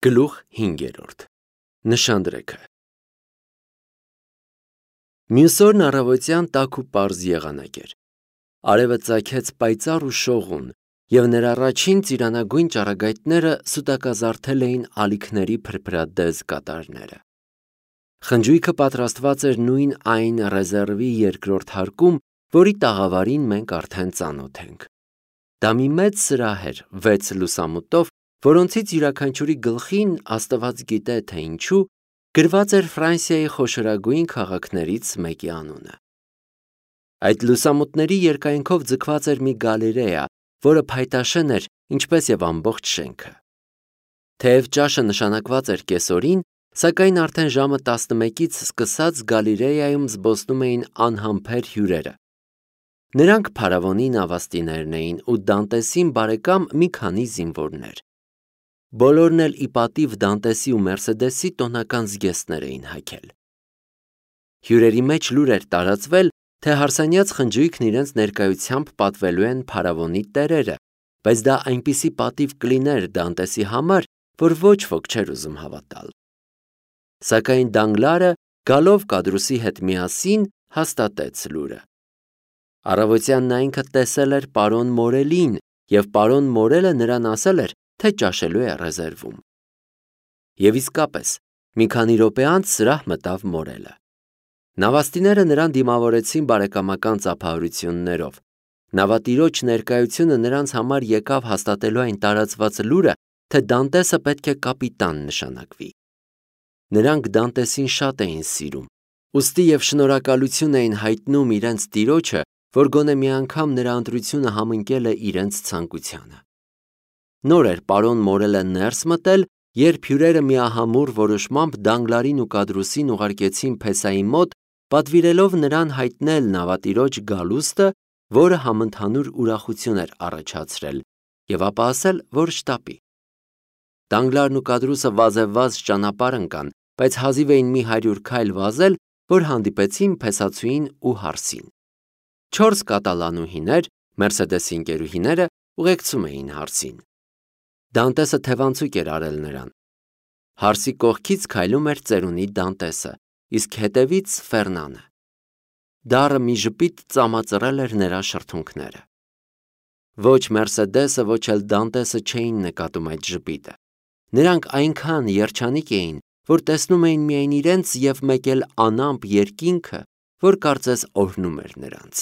Գլուխ 5. Նշանդրեքը։ Մյուս օրն առավոտյան տաք ու պարզ եղանակ էր։ Արևը ծագեց պայծառ ու շողուն, և նրա առաջին ծիրանագույն ճառագայթները սուտակազարդել էին ալիքների փրփրադեզ կատարները։ Խնջույքը պատրաստված էր նույն այն ռեզերվի երկրորդ հարկում, որի տաղավարին մենք արդեն ծանոթ ենք։ Դա մի մեծ սրահ էր 6 լուսամուտով, որոնցից յուրաքանչյուրի գլխին, Աստված գիտե թե ինչու, գրված էր Ֆրանսիայի խոշորագույն քաղաքներից մեկի անունը։ Այդ լուսամուտների երկայնքով ձգված էր մի գալերեա, որը փայտաշեն էր, ինչպես և ամբողջ շենքը։ Թեև ճաշը նշանակված էր կեսօրին, սակայն արդեն ժամը 11-ից սկսած գալերեայում զբոսնում էին անհամբեր հյուրերը։ Նրանք փարավոնի նավաստիներն էին ու Դանտեսին բարեկամ մի քանի զինվորներ։ Բոլորն էլ ի պատիվ Դանտեսի ու Մերսեդեսի տոնական զգեստներ էին հագել։ Հյուրերի մեջ լուր էր տարածվել, թե հարսանյաց խնջույքն իրենց ներկայությամբ պատվելու են փարավոնի տերերը, բայց դա այնպիսի պատիվ կլիներ Դանտեսի համար, որ ոչ ոք չէր ուզում հավատալ։ Սակայն Դանգլարը, գալով Կադրուսի հետ միասին, հաստատեց լուրը։ Առավոտյան նա ինքը տեսել էր պարոն Մորելին, և պարոն Մորելը նրան ասել էր, թե ճաշելու է ռեզերվում։ Եվ իսկապես, մի քանի րոպե անց սրահ մտավ Մորելը։ Նավաստիները նրան դիմավորեցին բարեկամական ծափահարություններով։ Նավատիրոջ ներկայությունը նրանց համար եկավ հաստատելու այն տարածված լուրը, թե Դանտեսը պետք է կապիտան նշանակվի։ Նրանք Դանտեսին շատ էին սիրում, ուստի և շնորհակալություն էին հայտնում իրենց տիրոջը, որ գոնե մի անգամ նրա ընտրությունը համընկել է իրենց ցանկությանը։ Նոր էր պարոն Մորելը ներս մտել, երբ հյուրերը միահամուռ որոշմամբ Դանգլարին ու Կադրուսին ուղարկեցին փեսայի մոտ, պատվիրելով նրան հայտնել նավատիրոջ գալուստը, որը համընդհանուր ուրախություն էր առաջացրել, և ապա ասել, որ շտապի։ Դանգլարն ու Կադրուսը վազևազ ճանապարհ ընկան, բայց հազիվ էին մի 100 քայլ վազել, որ հանդիպեցին փեսացուին ու հարսին։ 4 կատալանուհիներ, Մերսեդեսի ընկերուհիները, ուղեկցում էին հարսին։ Դանտեսը թևանցուկ էր արել նրան։ Հարսի կողքից քայլում էր ծերունի Դանտեսը, իսկ հետևից Ֆերնանը։ Դառը մի ժպիտ ծամածռել էր նրա շրթունքները։ Ոչ Մերսեդեսը, ոչ էլ Դանտեսը չէին նկատում այդ ժպիտը։ Նրանք այնքան երջանիկ էին, որ տեսնում էին միայն իրենց և մեկ էլ անամպ երկինքը, որ կարծես օրհնում էր նրանց։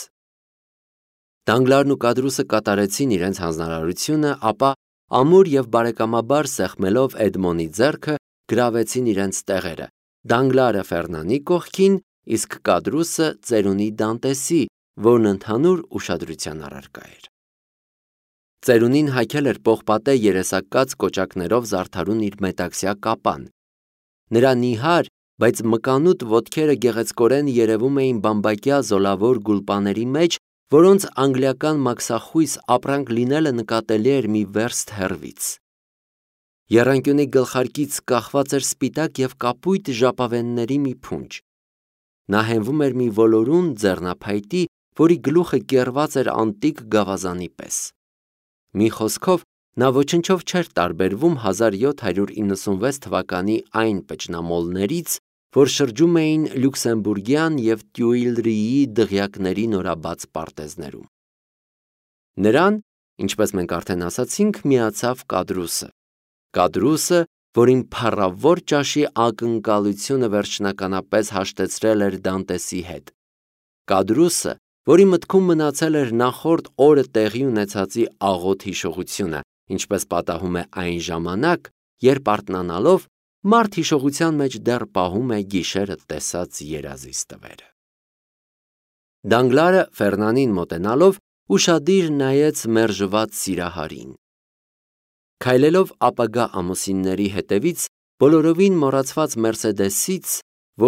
Դանգլարն ու Կադրուսը կատարեցին իրենց հանձնարարությունը, ապա ամուր և բարեկամաբար սեղմելով Էդմոնի ձեռքը, գրավեցին իրենց տեղերը, Դանգլարը Ֆերնանի կողքին, իսկ Կադրուսը ծերունի Դանտեսի, որն ընդհանուր ուշադրության առարկա էր։ Ծերունին հագել էր պողպատե երեսակաց կոճակներով զարդարուն իր մետաքսյա կապան։ Նրա նիհար, բայց մկանուտ ոտքերը գեղեցկորեն երևում էին բամբակյա զոլավոր գուլպաների մեջ, որոնց անգլիական մաքսախույս ապրանք լինելը նկատելի էր մի վերստ հեռվից։ Եռանկյունի գլխարկից կախված էր սպիտակ և կապույտ ժապավենների մի փունջ։ Նա հենվում էր մի ոլորուն ձեռնափայտի, որի գլուխը կեռված էր անտիկ գավազանի պես։ Մի խոսքով, նա ոչնչով չէր տարբերվում 1796 թվականի այն պճնամոլներից, որ շրջում էին Լյուքսեմբուրգյան և Տյուիլրիի դղյակների նորաբաց պարտեզներում։ Նրան, ինչպես մենք արդեն ասացինք, միացավ Կադրուսը։ Կադրուսը, որին փառավոր ճաշի ակնկալությունը վերջնականապես հաշտեցրել էր Դանտեսի հետ։ Կադրուսը, որի մտքում մնացել էր նախորդ օրը տեղի ունեցածի աղոտ հիշողությունը, ինչպես պատահում է այն ժամանակ, երբ արթնանալով մարդ հիշողության մեջ դեռ պահում է գիշերը տեսած երազի ստվերը։ Դանգլարը Ֆերնանին մոտենալով ուշադիր նայեց մերժված սիրահարին։ Քայլելով ապագա ամուսինների հետևից, բոլորովին մոռացված Մերսեդեսից,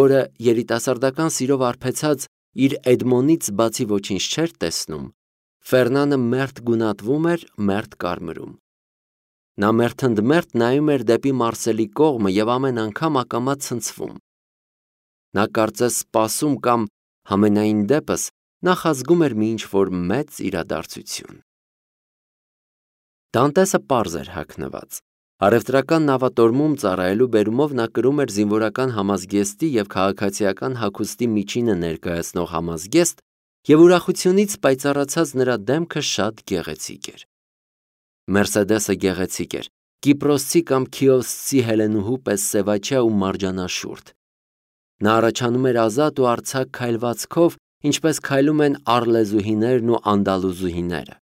որը երիտասարդական սիրով արբեցած իր Էդմոնից բացի ոչինչ չէր տեսնում, Ֆերնանը մերթ գունատվում էր, մերթ կարմրում։ Նա մերթընդմերթ նայում էր դեպի Մարսելի կողմը և ամեն անգամ ակամա ցնցվում։ Նա կարծես սպասում կամ, համենայն դեպս, նախազգում էր մի ինչ-որ մեծ իրադարձություն։ Դանտեսը պարզ էր հագնված։ Առևտրական նավատորմում ծառայելու բերումով նա կրում էր զինվորական համազգեստի և քաղաքացիական հագուստի միջինը ներկայացնող համազգեստ, և ուրախությունից պայծառացած նրա դեմքը շատ գեղեցիկ էր։ Մերսեդեսը գեղեցիկ էր, կիպրոսցի կամ քիոսցի հելենուհու պես սևաչյա ու մարջանաշուրթ։ Նա առաջանում էր ազատ ու արձակ քայլվածքով, ինչպես քայլում են առլեզուհիներն ու անդալուզուհիները։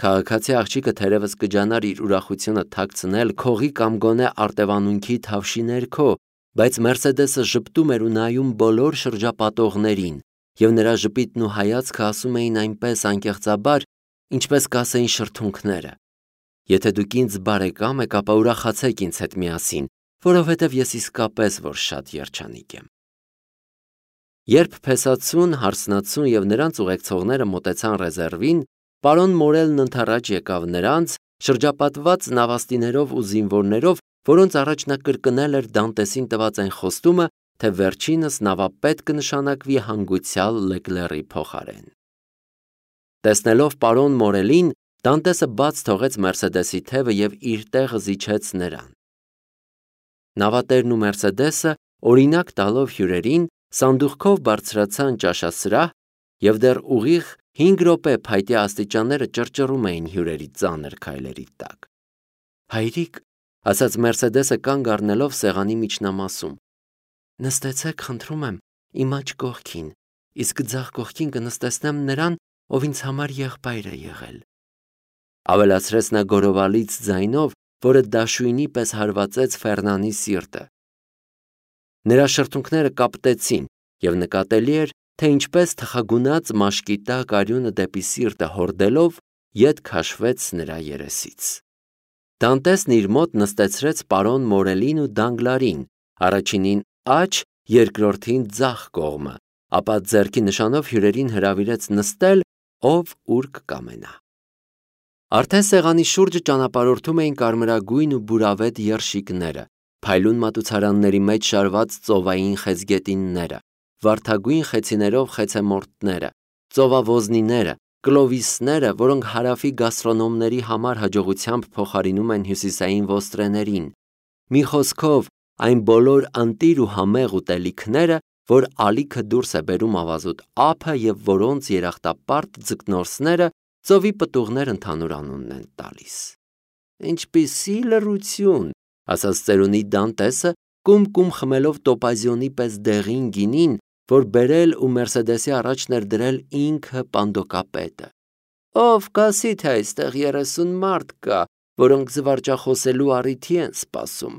Քաղաքացի աղջիկը թերևս կջանար իր ուրախությունը թաքցնել քողի կամ գոնե արտևանունքի թավշի ներքո, բայց Մերսեդեսը ժպտում էր ու նայում բոլոր շրջապատողներին, և նրա ժպիտն ու հայացքը ասում էին այնպես անկեղծաբար, ինչպես կասեին շրթունքները. «Եթե դուք ինձ բարեկամ եք, ապա ուրախացեք ինձ հետ միասին, որովհետև ես իսկապես որ շատ երջանիկ եմ»։ Երբ փեսացուն, հարսնացուն և նրանց ուղեկցողները մոտեցան ռեզերվին, պարոն Մորելն ընդառաջ եկավ նրանց, շրջապատված նավաստիներով ու զինվորներով, որոնց առաջ նա կրկնել էր Դանտեսին տված այն խոստումը, թե վերջինս նավապետ կնշանակվի հանգուցյալ Լեկլերի փոխարեն։ Տեսնելով պարոն Մորելին, Դանտեսը բաց թողեց Մերսեդեսի թևը և իր տեղը զիջեց նրան։ Նավատերն ու Մերսեդեսը, օրինակ տալով հյուրերին, սանդուղքով բարձրացան ճաշասրահ, և դեռ ուղիղ 5 րոպե փայտե աստիճանները ճռճռում էին հյուրերի ծանր քայլերի տակ։ «Հայրիկ», ասաց Մերսեդեսը կանգ առնելով սեղանի միջնամասում, «նստեցեք, խնդրում եմ, իմ աջ կողքին, իսկ ձախ կողքին կնստեցնեմ նրան, ով ինձ համար եղբայր է եղել», ավելացրեց նա գորովալից ձայնով, որը դաշույնի պես հարվածեց Ֆերնանի սիրտը։ Նրա շրթունքները կապտեցին, և նկատելի էր, թե ինչպես թխագունած մաշկի տակ արյունը դեպի սիրտը հորդելով ետ քաշվեց նրա երեսից։ Դանտեսն իր մոտ նստեցրեց պարոն Մորելին ու Դանգլարին, առաջինին աջ, երկրորդին ձախ կողմը, ապա ձեռքի նշանով հյուրերին հրավիրեց նստել, ով ուր կկամենա։ Արդեն սեղանի շուրջը ճանապարհորդում էին կարմրագույն ու բուրավետ երշիկները, փայլուն մատուցարանների մեջ շարված ծովային խեցգետինները, վարդագույն խեցիներով խեցեմորտները, ծովավոզնիները, կլովիսները, որոնք հարավի գաստրոնոմների համար հաջողությամբ փոխարինում են հյուսիսային ոստրեներին, մի խոսքով, այն բոլոր ընտիր ու համեղ ուտելիքները, որ ալիքը դուրս է բերում ավազուտ ափը և որոնց երախտապարտ ձկնորսները ծովի պտուղներ ընդհանուր անունն են տալիս։ «Ինչպիսի լռություն», ասաց ծերունի Դանտեսը, կում խմելով տոպազիոնի պես դեղին գինին, որ բերել ու Մերսեդեսի առաջն էր դրել ինքը պանդոկապետը։ «Ով կասի, թե այստեղ 30 մարդ կա, որոնք զվարճախոսելու առիթի են սպասում»։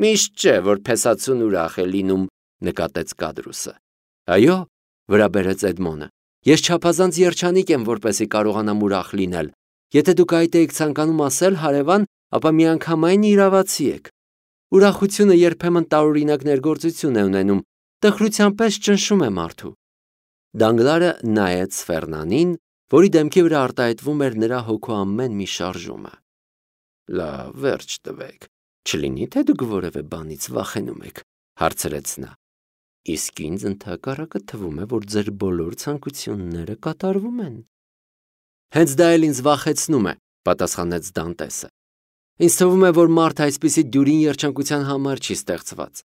«Միշտ չէ, որ փեսացուն ուրախ է լինում», նկատեց Կադրուսը։ «Այո», վրա բերեց Էդմոնը, «ես չափազանց երջանիկ եմ, որպեսզի կարողանամ ուրախ լինել։ Եթե դուք այդ էիք ցանկանում ասել, հարևան, ապա միանգամայն իրավացի եք։ Ուրախությունը երբեմն տարօրինակ ներգործություն է ունենում, տխրության պես ճնշում է մարդու»։ Դանգլարը նայեց Ֆերնանին, որի դեմքի վրա արտահայտվում էր նրա հոգու ամեն մի շարժումը։ «Լավ, վերջ տվեք, չլինի թե դուք որևէ բանից վախենում եք», հարցրեց նա։ «Իսկ ինձ ընդհակառակը թվում է, որ ձեր բոլոր ցանկությունները կատարվում են»։ «Հենց դա էլ ինձ վախեցնում է», պատասխանեց Դանտեսը։ «Ինձ թվում է, որ մարդը այսպիսի դյուրին երջանկության համար չի ստեղծված։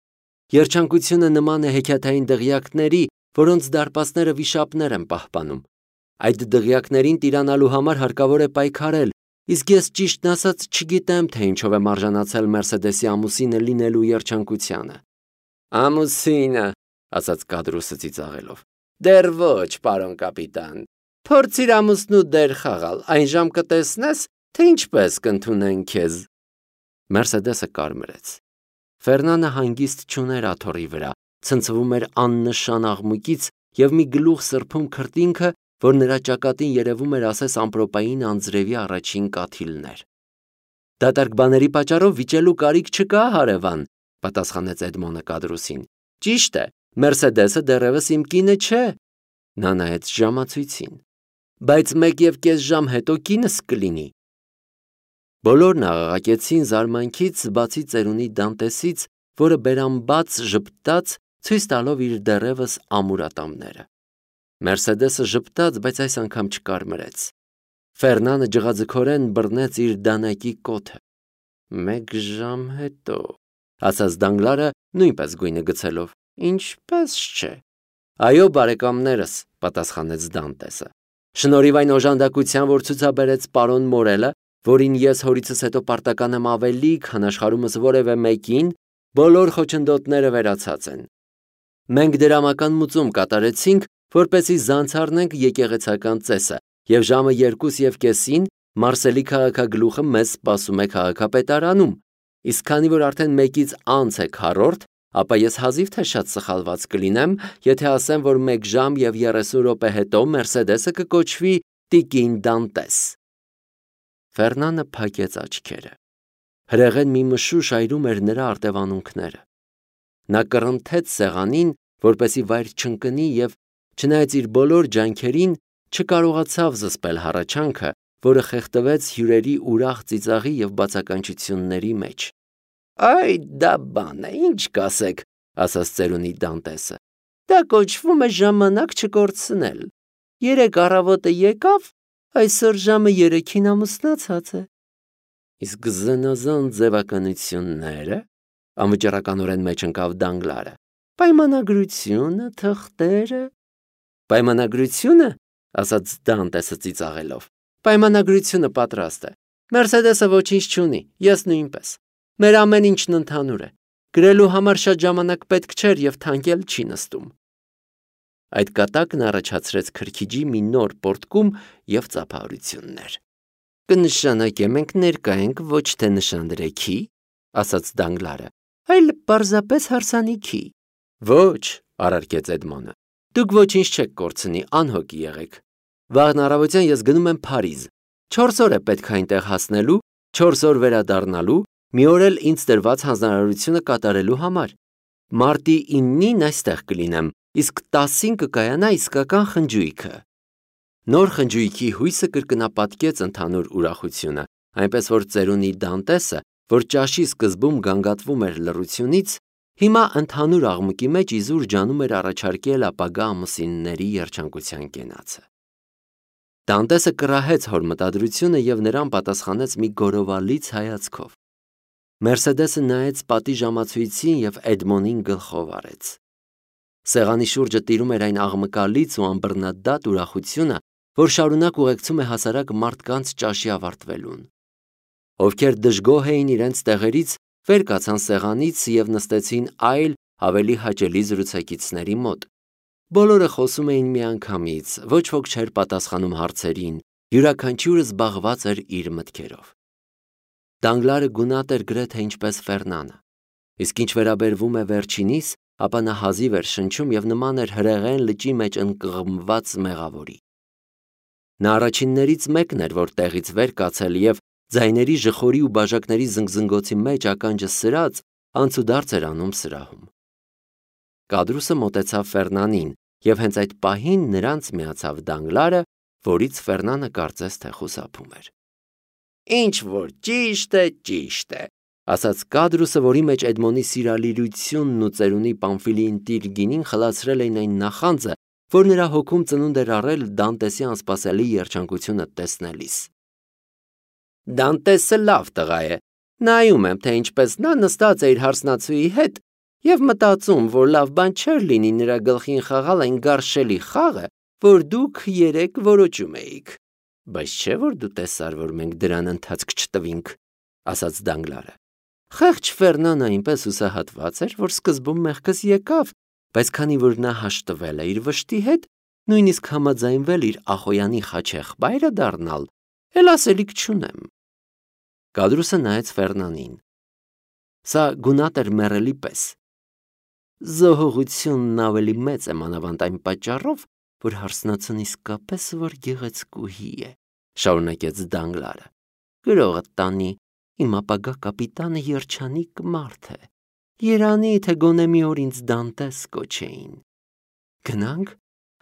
Երջանկությունը նման է հեքիաթային դղյակների, որոնց դարպասները վիշապներ են պահպանում։ Այդ դղյակներին տիրանալու համար հարկավոր է պայքարել, իսկ ես ճիշտն ասած չգիտեմ, թե ինչով եմ արժանացել Մերսեդեսի ամուսինը լինելու երջանկությանը»։ «Ամուսինը», ասաց Կադրուսը ծիծաղելով, «դեռ ոչ, պարոն կապիտան։ Փորձիր ամուսնու դեր խաղալ, այն ժամ կտեսնես, թե ինչպես կընդունեն քեզ»։ Մերսեդեսը կարմրեց։ Ֆերնանը հանգիստ չուներ աթոռի վրա, ցնցվում էր աննշան աղմուկից և մի գլուխ սրբում քրտինքը, որ նրա ճակատին երևում էր ասես ամպրոպային անձրևի առաջին կաթիլներ։ «Դատարկ բաների պատճառով վիճելու կարիք չկա, հարևան», պատասխանեց Էդմոնը Կադրուսին։ «Ճիշտ է, Մերսեդեսը դեռևս իմ կինը չէ»։ Նա նայեց ժամացույցին։ «Բայց 1.5 ժամ հետո կինս կլինի»։ Բոլորն աղաղակեցին զարմանքից, բացի ծերունի Դանտեսից, որը բերանբաց ժպտաց, ցույց տալով իր դեռևս ամուր ատամները։ Մերսեդեսը ժպտաց, բայց այս անգամ չկարմրեց։ Ֆերնանը ջղաձգորեն բռնեց իր դանակի կոթը։ 1 ժամ հետո, ասաց Դանգլարը նույնպես գույնը գցելով։ Ինչպես չէ։ Այո, բարեկամներս, պատասխանեց Դանտեսը։ Շնորհիվ այն օժանդակության, որ ցուցաբերեց պարոն Մորելը, որին ես հորիցս հետո պարտական եմ ավելի, քան աշխարհումս որևէ մեկին, բոլոր խոչընդոտները վերացած են։ Մենք դրամական մուծում կատարեցինք, որպեսզի զանց առնենք եկեղեցական ծեսը, եւ ժամը 2:30-ին Մարսելի քաղաքագլուխը մեզ սպասում է քաղաքապետարանում։ Իսկ քանի որ արդեն 1-ից անց է 4, ապա ես հազիվ թե շատ սխալված կլինեմ, եթե ասեմ, որ 1 ժամ եւ 30 րոպե հետո Մերսեդեսը կկոչվի Տիկին Դանտես։ Ֆերնանը փակեց աչքերը։ Հրեղեն մի մշուշ այրում էր նրա արտևանունքները։ Նա կռնթեց սեղանին, որպեսի վայր չընկնի եւ, չնայած իր բոլոր ջանքերին, չկարողացավ զսպել հառաչանքը, որը խեղդվեց հյուրերի ուրախ ծիծաղի եւ բացականչությունների մեջ։ Այ դա բան է, ինչ կասեք, ասաց ծերունի Դանտեսը։ Դա կոչվում է ժամանակ չկորցնել։ 3 առավոտը եկավ, այսօր ժամը 3-ին ամուսնացած է։ Իսկ զնազան ձևականությունները, անվճռականորեն մեջ ընկավ Դանգլարը։ Պայմանագրությունը, թղթերը։ Պայմանագրությունը, ասաց Դանտեսը ծիծաղելով։ Պայմանագրությունը պատրաստ է։ Մերսեդեսը ոչինչ չունի, ես նույնպես։ Մեր ամեն ինչն ընդհանուր է։ Գրելու համար շատ ժամանակ պետք չէր եւ թանկել չի նստում։ Այդ կատակն առաջացրեց քրքիջի մի նոր պորտկում եւ ծափահարություններ։ Կնշանակե մենք ներկա ենք ոչ թե նշանդրեքի, ասաց Դանգլարը, այլ պարզապես հարսանիքի։ Ոչ, առարկեց Էդմոնը։ Դուք ոչինչ չեք կորցնի, անհոգ եղեք։ Վաղն առավոտյան ես գնում եմ Փարիզ։ 4 օր է պետք այնտեղ հասնելու, 4 օր վերադառնալու, մի օր էլ ինձ տրված հանձնարարությունը կատարելու համար։ Մարտի 9-ին այստեղ կլինեմ, իսկ 10-ին կկայանա իսկական խնջույքը։ Նոր խնջույքի հույսը կրկնապատկեց ընդհանուր ուրախությունը, այնպես որ ծերունի Դանտեսը, որ ճաշի սկզբում գանգատվում էր լռությունից, հիմա ընդհանուր աղմուկի մեջ իզուր ջանում էր առաջարկել ապագա ամուսինների երջանկության կենացը։ Դանտեսը կռահեց հոր մտադրությունը եւ նրան պատասխանեց մի գորովալից հայացքով։ Մերսեդեսը նայեց պատի ժամացույցին եւ Էդմոնին գլխով արեց։ Սեղանի շուրջը տիրում էր այն աղմկալից ու անբռնադատ ուրախությունը, որ շարունակ ուղեկցում է հասարակ մարդկանց ճաշի ավարտվելուն։ Ովքեր դժգոհ էին իրենց տեղերից, վեր կացան սեղանից եւ նստեցին այլ ավելի հաճելի զրուցակիցների մոտ։ Բոլորը խոսում էին միանգամից, ոչ ոք չէր պատասխանում հարցերին, յուրաքանչյուրը զբաղված էր իր մտքերով։ Դանգլարը գունատ էր գրեթե ինչպես Ֆերնանը, իսկ ինչ վերաբերվում է վերջինիս, ապա նա հազիվ էր շնչում եւ նման էր հրեղեն լճի մեջ ընկղմված մեղավորի։ Նա առաջիններից մեկն էր, որ տեղից վեր կացել եւ ձայների ժխորի ու բաժակների զնգզնգոցի մեջ ականջը սրած անցուդարձ էր անում սրահում։ Կադրուսը մոտեցավ Ֆերնանին եւ հենց այդ պահին նրանց միացավ Դանգլարը, որից Ֆերնանը կարծես թե խուսափում էր։ Ինչ որ ճիշտ է, ասաց Կադրուսը, որի մեջ Էդմոնի սիրալիրությունն ու ծերունի Պամֆիլիին Տիրգինին խլացրել էին այն նախանձը, որ նրա հոգում ծնունդ էր առել Դանտեսի անսպասելի երջանկությունը տեսնելիս։ Դանտեսը լավ տղա է, նայում եմ, թե ինչպես նա նստած է իր հարսնացուի հետ եւ մտածում, որ լավ բան չէր լինի նրա գլխին խաղալ այն գարշելի խաղը, որ դուք երեք որոճում էիք։ Բայց չէ՞ որ դու տեսար, որ մենք դրան ընթացք չտվինք, ասաց Դանգլարը։ Խեղճ Ֆերնանը այնպես հուսահատված էր, որ սկզբում մեղքս եկավ, բայց քանի որ նա հաշտվել է իր վշտի հետ, նույնիսկ համաձայնվել իր ախոյանի խաչեղբայրը դառնալ, էլ ասելիք չունեմ։ Կադրուսը նայեց Ֆերնանին։ Սա գունատ էր մեռելի պես։ Զոհողությունն ավելի մեծ է մանավանդ այն պատճառով, որ հարսնացուն իսկապես որ գեղեցկուհի է, շարունակեց Դանգլարը։ Գրողը տանի, իմ ապագա կապիտանը երջանիկ մարդ է։ Երանի թե գոնե մի օր ինձ Դանտես կոչեին։ Գնանք,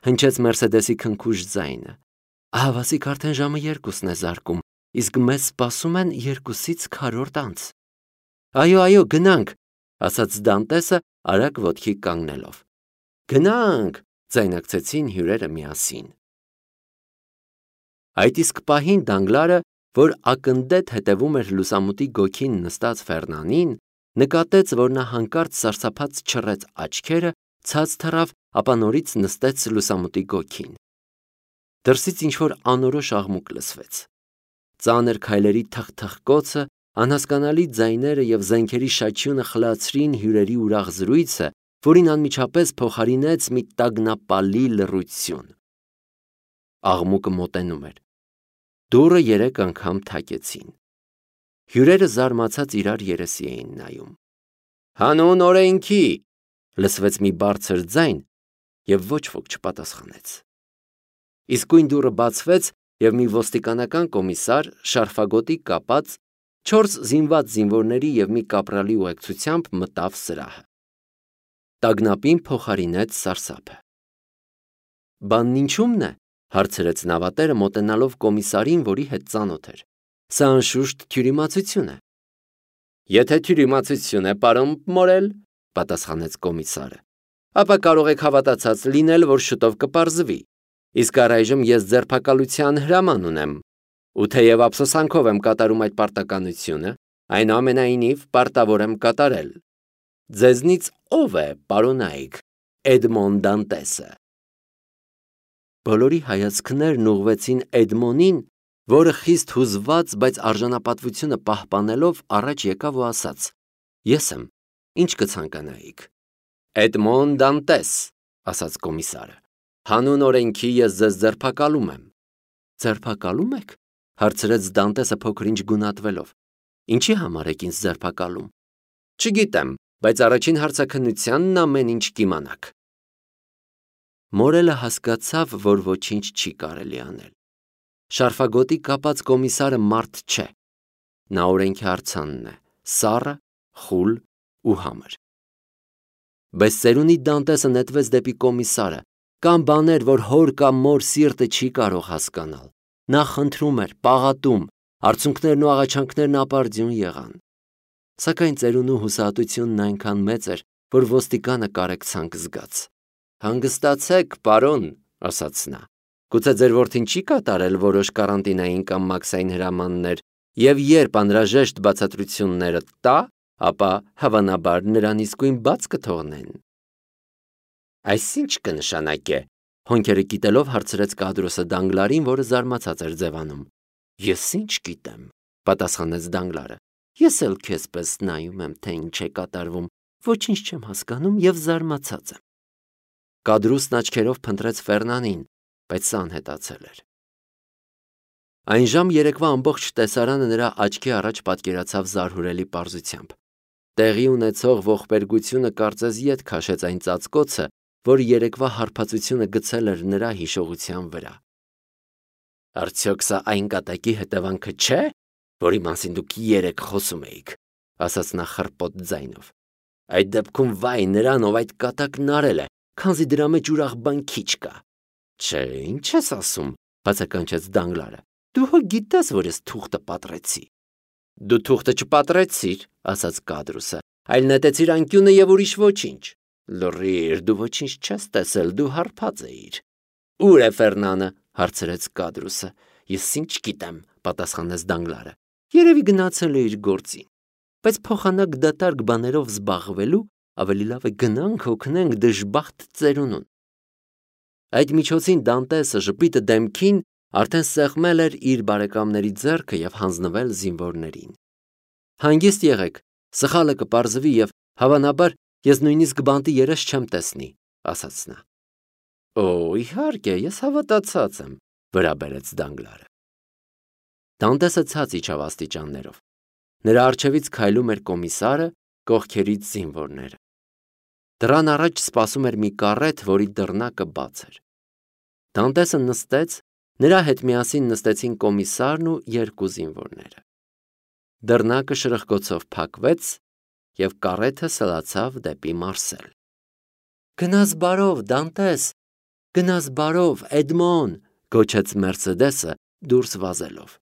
հնչեց Մերսեդեսի քնքուշ ձայնը։ Ահավասիկ արդեն ժամը 2-ն է զարկում, իսկ մեզ սպասում են 2-ից 4 անց։ Այո, գնանք, ասաց Դանտեսը արագ ոտքի կանգնելով։ Գնանք, ձայնակցեցին հյուրերը միասին։ Այդ իսկ պահին Դանգլարը որ ակնդետ հետևում էր լուսամուտի գոգին նստած Ֆերնանին, նկատեց, որ նա հանկարծ սարսափած չռեց աչքերը, ցած թռավ, ապա նորից նստեց լուսամուտի գոգին։ Դրսից ինչ-որ անորոշ աղմուկ լսվեց։ Ծանր քայլերի թխթխկոցը, անհասկանալի ձայները և զենքերի շաչյունը խլացրին հյուրերի ուրախ զրույցը, որին անմիջապես փոխարինեց մի տագնապալի լռություն։ Աղմուկը մոտենում էր։ Դուռը 3 անգամ թակեցին։ Հյուրերը զարմացած իրար երեսի էին նայում։ «Հանուն օրենքի», լսվեց մի բարձր ձայն, և ոչ ոք չպատասխանեց։ Իսկույն դուռը բացվեց, և մի ոստիկանական կոմիսար, շարֆագոտի կապած, 4 զինված զինվորների և մի կապրալի ուղեկցությամբ մտավ սրահը։ Տագնապին փոխարինեց սարսափը։ «Բանն ինչու՞մն է», հարցրեց նավատերը մոտենալով կոմիսարին, որի հետ ծանոթ էր։ «Սա անշուշտ թյուրիմացություն է»։ «Եթե թյուրիմացություն է, պարոն Մորել», պատասխանեց կոմիսարը, ապա կարող եք հավատացած լինել, որ շուտով կպարզվի։ Իսկ առայժմ ես ձերբակալության հրաման ունեմ, ու թեև ափսոսանքով եմ կատարում այդ պարտականությունը, այնուամենայնիվ պարտավոր եմ կատարել։ Ձեզնից ո՞վ է, պարոնայք, Էդմոն Դանտեսը։ Բոլորի հայացքներն ուղղվեցին Էդմոնին, որը խիստ հուզված, բայց արժանապատվությունը պահպանելով առաջ եկավ ու ասաց. «Ես եմ, ինչ կցանկանայիք»։ «Էդմոն Դանտես», ասաց կոմիսարը, «հանուն օրենքի ես ձեզ ձերբակալում եմ»։ «Ձերբակալում եք», հարցրեց Դանտեսը փոքր-ինչ գունատվելով։ «Ինչի համար եք ինձ ձերբակալում»։ «Չգիտեմ, բայց առաջին հարցաքննությանն ամեն ինչ կիմանաք»։ Մորելը հասկացավ, որ ոչինչ չի կարելի անել։ Շարֆագոտի կապած կոմիսարը մարդ չէ։ Նա օրենքի արձանն է, սառը, խուլ ու համր։ Բայց ծերունի Դանտեսը նետվեց դեպի կոմիսարը, կան բաներ, որ հոր կամ մոր սիրտը չի կարող հասկանալ։ Նա խնդրում էր, պաղատում, արցունքներն ու աղաչանքներն ապարդյուն եղան։ Սակայն ծերունու հուսահատությունն այնքան մեծ էր, որ ոստիկանը կարեկցանք զգաց։ «Հանգստացեք, պարոն», ասաց նա, «գուցե ձեր որդին չի կատարել որոշ կարանտինային կամ մաքսային հրամաններ, և երբ անհրաժեշտ բացատրությունները տա, ապա հավանաբար նրան իսկույն բաց կթողնեն»։ «Այս ի՞նչ կնշանակե», հոնքերը կիտելով հարցրեց Կադրոսը Դանգլարին, որը զարմացած էր ձևանում։ «Ես ինչ գիտեմ», պատասխանեց Դանգլարը։ «Ես էլ քեզպես նայում եմ, թե ինչ է կատարվում, ոչինչ չեմ հասկանում և զարմացած եմ»։ Կադրուսն աչքերով փնտրեց Ֆերնանին, բայց սա անհետացել էր։ Այն ժամ երեկվա ամբողջ տեսարանը նրա աչքի առաջ պատկերացավ զարհուրելի պարզությամբ։ Տեղի ունեցող ողբերգությունը կարծես ետ քաշեց այն ծածկոցը, որ երեկվա հարբածությունը գցել էր նրա հիշողության վրա։ «Արդյոք սա այն կատակի հետևանքը չէ, որի մասին դուք երեկ խոսում էիք», ասաց նա խռպոտ ձայնով։ «Այդ դեպքում վայ նրան, ով այդ կատակն արել է, քանզի դրա մեջ ուրախ բան քիչ կա»։ «Չէ, ինչ ես ասում», բացականչեց Դանգլարը։ «Դու հո գիտես, որ ես թուղթը պատռեցի»։ «Դու թուղթը չպատրեցիր», ասաց Կադրուսը, «այլ նետեցիր անկյունը և ուրիշ ոչինչ»։ «Լռիր, դու ոչինչ չես տեսել, դու հարբած էիր»։ «Ուր է Ֆերնանը», հարցրեց Կադրուսը։ «Ես ինչ գիտեմ», պատասխանեց Դանգլարը։ «Երևի գնացել է իր գործին, բայց փոխանակ դատարկ բաներով զբաղվելու ավելի լավ է գնանք օգնենք դժբախտ ծերունուն»։ Այդ միջոցին Դանտեսը ժպիտը դեմքին արդեն սեղմել էր իր բարեկամների ձեռքը և հանձնվել զինվորներին։ «Հանգիստ եղեք, սխալը կպարզվի և, հավանաբար, ես նույնիսկ բանտի երես չեմ տեսնի», ասաց նա։ «Օ, իհարկե, ես հավատացած եմ», վրա բերեց Դանգլարը։ Դանտեսը ցած իջավ աստիճաններով։ Նրա առջևից քայլում էր կոմիսարը, կողքերից զինվորները։ Դռան առաջ սպասում էր մի կառետ, որի դռնակը բաց էր։ Դանտեսը նստեց, նրա հետ միասին նստեցին կոմիսարն ու 2 զինվորները։ Դռնակը շրխկոցով փակվեց, և կառեթը սլացավ դեպի Մարսել։ «Գնաս բարով, Դանտես, գնաս բարով, Էդմոն», գոչեց Մերսեդեսը դուրս վազելով։